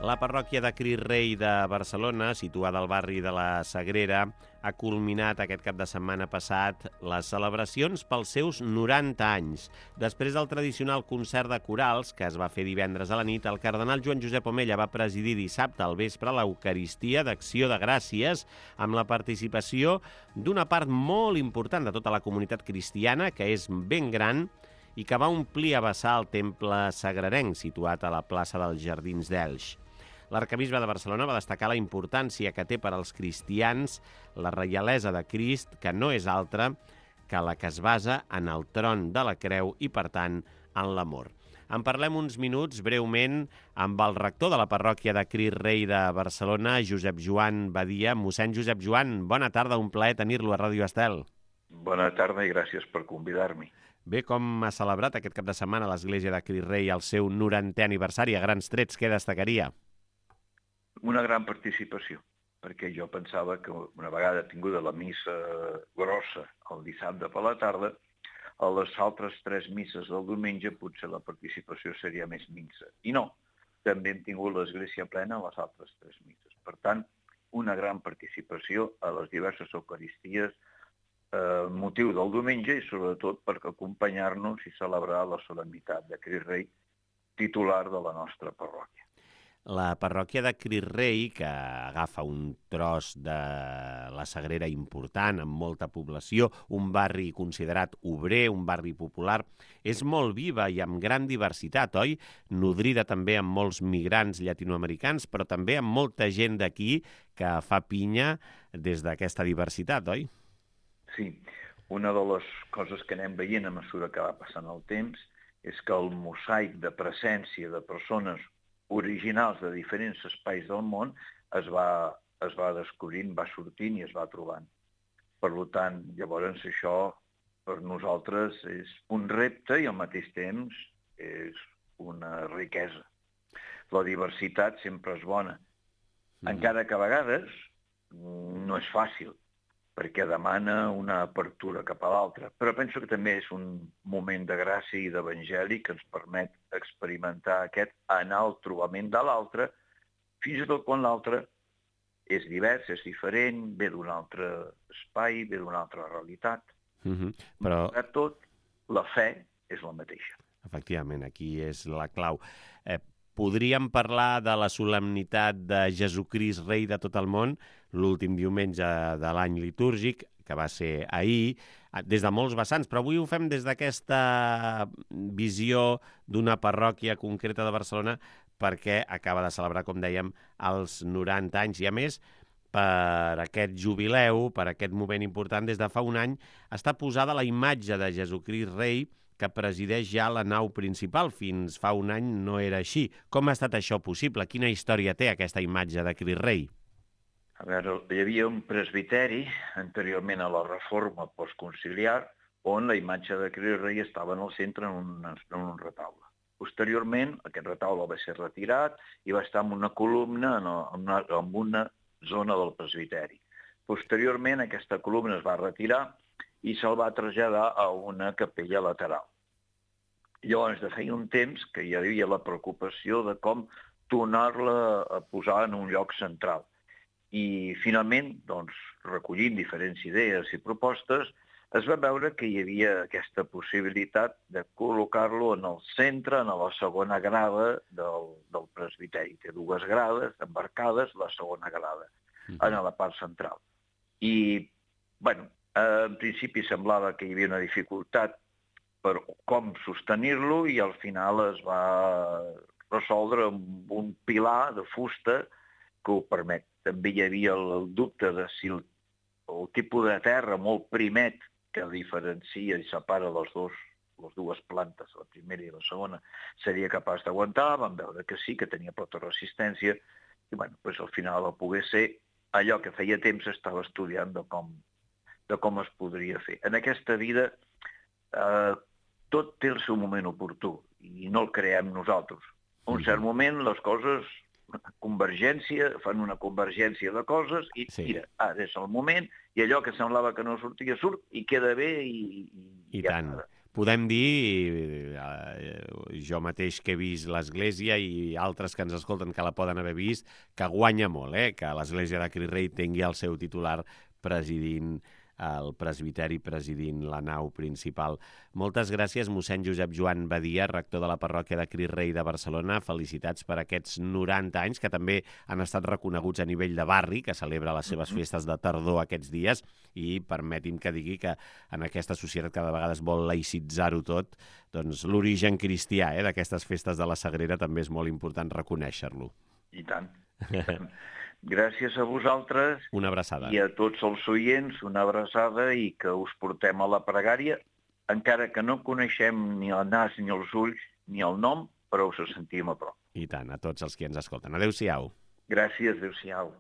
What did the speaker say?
La parròquia de Crist Rei de Barcelona, situada al barri de la Sagrera, ha culminat aquest cap de setmana passat les celebracions pels seus 90 anys. Després del tradicional concert de corals, que es va fer divendres a la nit, el cardenal Joan Josep Omella va presidir dissabte al vespre l'Eucaristia d'Acció de Gràcies amb la participació d'una part molt important de tota la comunitat cristiana, que és ben gran, i que va omplir a vessar el temple sagrarenc situat a la plaça dels Jardins d'Elx. L'arquebisbe de Barcelona va destacar la importància que té per als cristians la reialesa de Crist, que no és altra que la que es basa en el tron de la creu i, per tant, en l'amor. En parlem uns minuts, breument, amb el rector de la parròquia de Crist Rei de Barcelona, Josep Joan Badia. Mossèn Josep Joan, bona tarda, un plaer tenir-lo a Ràdio Estel. Bona tarda i gràcies per convidar-me. Bé, com ha celebrat aquest cap de setmana l'Església de Crist Rei el seu 90è aniversari? A grans trets, què destacaria? Una gran participació, perquè jo pensava que una vegada tinguda la missa grossa el dissabte per la tarda, a les altres 3 misses del diumenge potser la participació seria més minsa. I no, també hem tingut l'església plena a les altres 3 misses. Per tant, una gran participació a les diverses eucaristies, motiu del diumenge i sobretot per acompanyar-nos i celebrar la solemnitat de Crist Rei, titular de la nostra parròquia. La parròquia de Crist Rei, que agafa un tros de la Sagrera important, amb molta població, un barri considerat obrer, un barri popular, és molt viva i amb gran diversitat, oi? Nodrida també amb molts migrants llatinoamericans, però també amb molta gent d'aquí que fa pinya des d'aquesta diversitat, oi? Sí, una de les coses que anem veient a mesura que va passant el temps és que el mosaic de presència de persones originals de diferents espais del món es va descobrint, va sortint i es va trobant. Per tant, llavors això per nosaltres és un repte i al mateix temps és una riquesa. La diversitat sempre és bona, encara que a vegades no és fàcil, perquè demana una apertura cap a l'altra. Però penso que també és un moment de gràcia i d'evangeli que ens permet experimentar aquest anar al trobament de l'altre, fins i tot quan l'altre és divers, és diferent, ve d'un altre espai, ve d'una altra realitat. Però Malgrat tot, la fe és la mateixa. efectivament, aquí és la clau. Podríem parlar de la solemnitat de Jesucrist Rei de tot el món, l'últim diumenge de l'any litúrgic, que va ser ahir, des de molts vessants, però avui ho fem des d'aquesta visió d'una parròquia concreta de Barcelona perquè acaba de celebrar, com dèiem, els 90 anys. I a més, per aquest jubileu, per aquest moment important, des de fa un any, està posada la imatge de Jesucrist Rei que presideix ja la nau principal. Fins fa un any no era així. Com ha estat això possible? Quina història té aquesta imatge de Crist Rei? A veure, hi havia un presbiteri, anteriorment a la reforma postconciliar, on la imatge de Crist Rei estava en el centre en un retaule. Posteriorment, aquest retaule va ser retirat i va estar en una columna en una zona del presbiteri. Posteriorment, aquesta columna es va retirar i se'l va traslladar a una capella lateral. Llavors, de feia un temps que hi havia la preocupació de com tornar-la a posar en un lloc central. I finalment, doncs, recollint diferents idees i propostes, es va veure que hi havia aquesta possibilitat de col·locar-lo en el centre, en la segona grada del presbiteri. Té 2 grades embarcades, la segona grada, en la part central. I, bueno, en principi semblava que hi havia una dificultat per com sostenir-lo i al final es va resoldre amb un pilar de fusta que ho permet. També hi havia el dubte de si el tipus de terra molt primet que diferencia i separa les dues plantes, la primera i la segona, seria capaç d'aguantar. Vam veure que sí, que tenia prou resistència i bueno, doncs al final va poder ser allò que feia temps estava estudiant de com es podria fer. En aquesta vida tot té el seu moment oportú i no el creem nosaltres. En un cert moment les coses, fan una convergència de coses i mira, ara és el moment i allò que semblava que no sortia surt i queda bé i tant. podem dir, jo mateix que he vist l'església i altres que ens escolten que la poden haver vist, que guanya molt, que l'església de Crist Rei tingui el seu titular presidint el presbiteri, presidint la nau principal. Moltes gràcies, mossèn Josep Joan Badia, rector de la parròquia de Crist Rei de Barcelona. Felicitats per aquests 90 anys, que també han estat reconeguts a nivell de barri, que celebra les seves festes de tardor aquests dies, i permeti'm que digui que en aquesta societat cada vegada es vol laïcitzar-ho tot, doncs l'origen cristià d'aquestes festes de la Sagrera també és molt important reconèixer-lo. I tant. Gràcies a vosaltres. Una abraçada. I a tots els oients, una abraçada i que us portem a la pregària, encara que no coneixem ni el nas, ni els ulls, ni el nom, però us sentim a prop. I tant, a tots els que ens escolten. Adéu-siau. Gràcies, adéu-siau.